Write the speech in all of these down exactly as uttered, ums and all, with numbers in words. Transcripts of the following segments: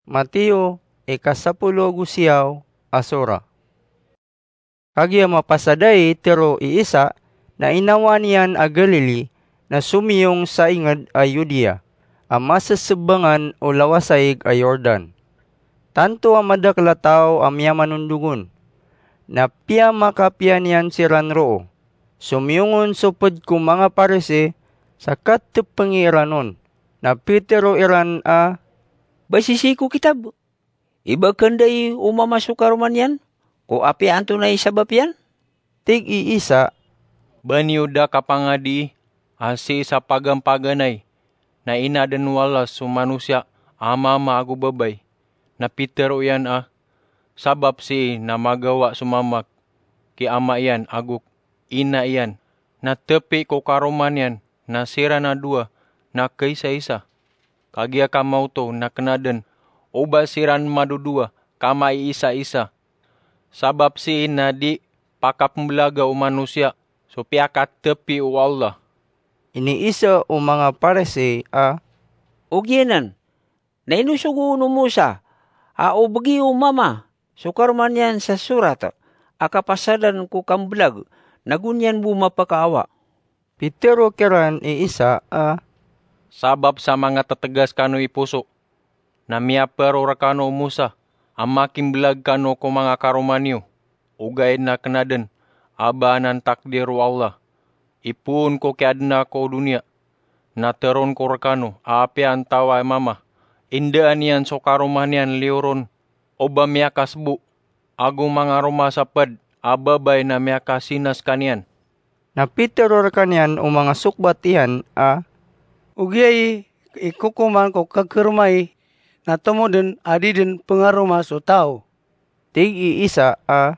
Mateo, ika sapolo ago siyaw a sura. Kagiya mapasad ai tero i Isa na inawaan iyan a Galili na somiyong sa inged a Judea a masesebangan o lawasaig a Jordan. Tanto a madakel a taw a miyamanondog on, na piyamakapiya niyan siran roo. Somiyong on so ped ko manga Parisi sa katepengi iran on, na pitero iran a, "Basisi ko kitab, ibaken dai o mama so karoma niyan ko apiya antonaa i sabap iyan?" Tig i Isa, "Ba niyo da kapangadii a sii sa pagampaganay na inaden o Allah so manosiya a mama ago babay, na pitero iyan a, 'Sabap sii na magawa so mama ki ama iyan ago ina iyan, na tepi ko karoma niyan na siran a dowa na kaisaisa'? Kagiya ka maoto na kena den o ba siran madodowa ka maiisaisa. Sabap sii na di pakapembelaga o manosiya so piyakatepi o Allah.'" Iniisa o manga Parisi a, "Ogaid anan, na inosogo on o Mosa a o begi o mama so karoma niyan sa sorat a kapasadan ko kambelag, na go niyan bo mapakaawa." Pitero kiran i Isa a, "Sabap sa manga tetegas kano i poso, na miyaparo rekano o Mosa a makimbelag kano ko manga karoma niyo, ogaid na kena den a ba anan takdir o Allah. Ipoon ko kiyaden ako o doniya, na teroon ko rekano a apiya antawa i mama, indaan iyan so karoma niyan liyo ron o ba miyakasebo, ago mangaroma sa ped a babay na miyakasinas kaniyan." Na pitero rekaniyan o manga sokbat iyan a, "Ogaid i kokoman ko kakaromai na tomo den a di den pengaroma so taw." Tig i Isa a,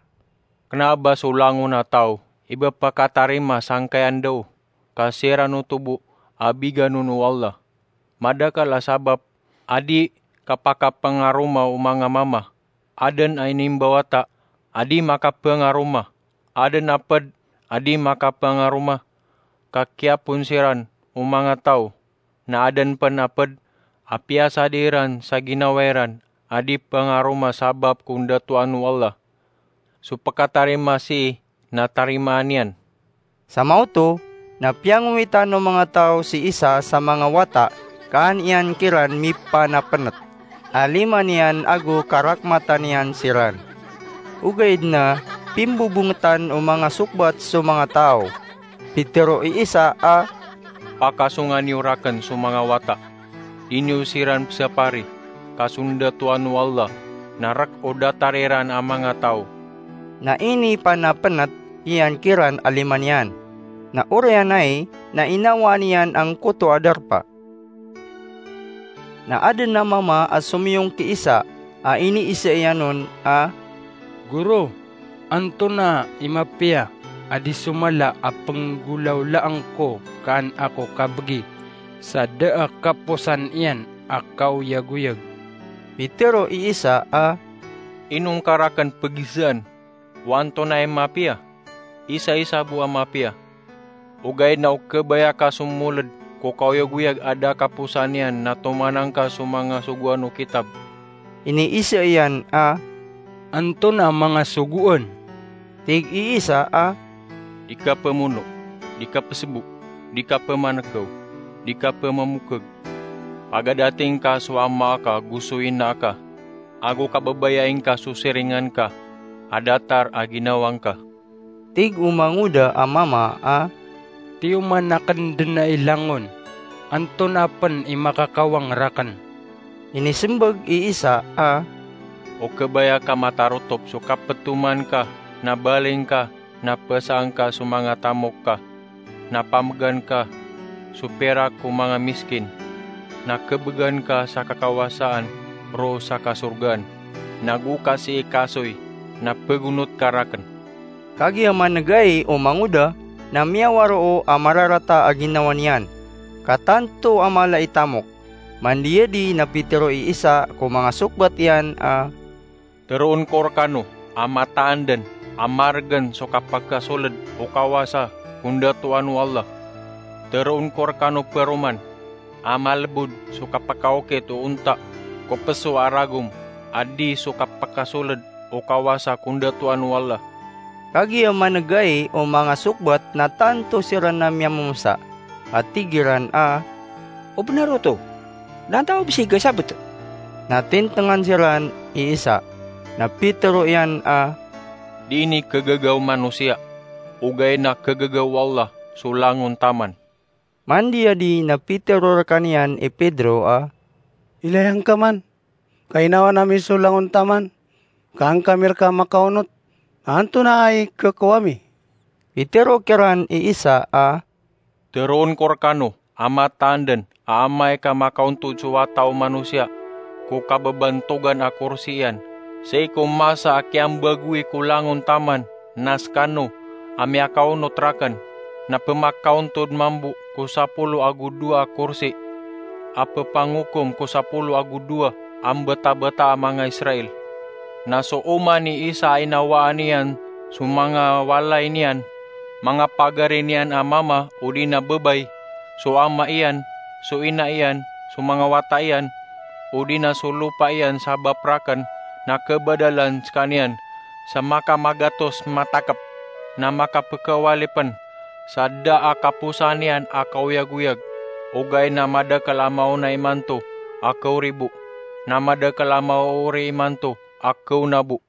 "Kena a ba so langon a taw i ba pakatarima sangkai a ndao ka siran oto bo a bigan on o Allah? Madakel a sabap a di kapakapengaroma o manga mama. Aden a inimbawata a di makapengaroma, aden a ped a di makapengaroma ka kiyapon siran o manga taw, na aden pen a ped a piyasadi iran sa ginawa iran a di pengaroma sabap ko ndatoan o Allah. So pekatarima sii na tarimaan iyan." Sa maoto na piyangowitan o manga taw si Isa sa manga wata ka an iyan kiran mipanapenet a lima niyan ago karakmatan iyan siran. Ogaid na pimbobongetan o manga sokbat so manga taw. Pitero i Isa a, "Pakasonga niyo raken so manga wata. Di niyo siran pesapari, ka so ndatoan o Allah na rek o datar iran a manga taw." Na inipanapenet iyan kiran a lima niyan. Na oriyan ai na inawaan iyan angkoto a darpa. Na aden a mama a somiyong ki Isa a iniisa iyan on a, "Goro, antonaa i mapiya a di so mala a penggolawlaan ko ka an ako kabegi sa da a kaposan iyan a kaoyagoyag?" Pitero i Isa a, "Ino ngka raken pegisaan o antonaa i mapiya? Isaisa bo a mapiya. Ogaid na o kebaya ka so moled ko kaoyagoyag a da a kaposan iyan na tomanan ka so manga sogoan o kitab." Iniisa iyan a, "Antonaa a manga sogoan?" Tig i Isa a, "Di kapemono, di kapesebo, di kapemanekew, di kapemamokeg, pagadating ka so ama aka go so ina aka, ago kababayai ngka so siringan ka a datar a ginawa ngka." Tig o mangoda a mama a, "Tiyoman aken den ai langon, antonaa pen i makakawang raken?" Inisembag i Isa a, "O kebaya ka matarotop so kapetoman ka na baling ka na pesaan ka so manga tamok ka, na pamegan ka so pirak ko manga miskin, na kebegan ka sa kakawasaan roo sa kasorgaan, na go ka sii kasoy na pegonot ka raken." Kagiya maneg ai o mangoda na miyawaroo a mararata a ginawa niyan, ka tanto a mala i tamok. Mandiyadi na pitero i Isa ko manga sokbat iyan a, "Teroon ko rekano a mataan den a maregen so kapakasoled o kawasa ko ndatoan o Allah. Teroon ko rekano peroman a malebod so kapakaokit o onta ko ko peso a ragom, a di so kapakasoled o kawasa ko ndatoan o Allah. Kagiya manegai o manga sokbat na tanto siran a miyamomosa, a tig iran a, "O benar oto, na antaa o bes i gasabeto?" Na tintengan siran i Isa, na pitero iyan a, "Di ini kegaga o manosiya, ogaid na kegaga o Allah so langon taman." Mandiya di na pitero rekaniyan i Pedro a, "Ilaya ngka man, kainawan ami so langon taman, ka an kami reka makaonot, antonaa i kekowa mi?" Pitero kiran i Isa a, "Teroon ko rekano a mataan den a amay ka makaontod so Wata o Manosiya ko kabebantogan a korsi iyan, sii ko masa a kiyambagoi ko langon taman, na sekano a miyakaonot raken, na pemakaontod mambo ko sapolo ago dowa a korsi a pepangokom ko sapolo ago dowa a mbetabeta a manga Israel. Na so oman i Isa a inawaan iyan so manga walay niyan, manga pagari niyan a mama odi na bebay, so ama iyan, so ina iyan, so manga wata iyan, odi na so lopa iyan sabap raken, na kebadalan sekaniyan sa makamagatos matakep, na makapekewalipen sa da a kaposan iyan a kaoyagoyag, ogaid na madakel a maona imanto a kewribo, na madakel a maoori imanto a kewnabo."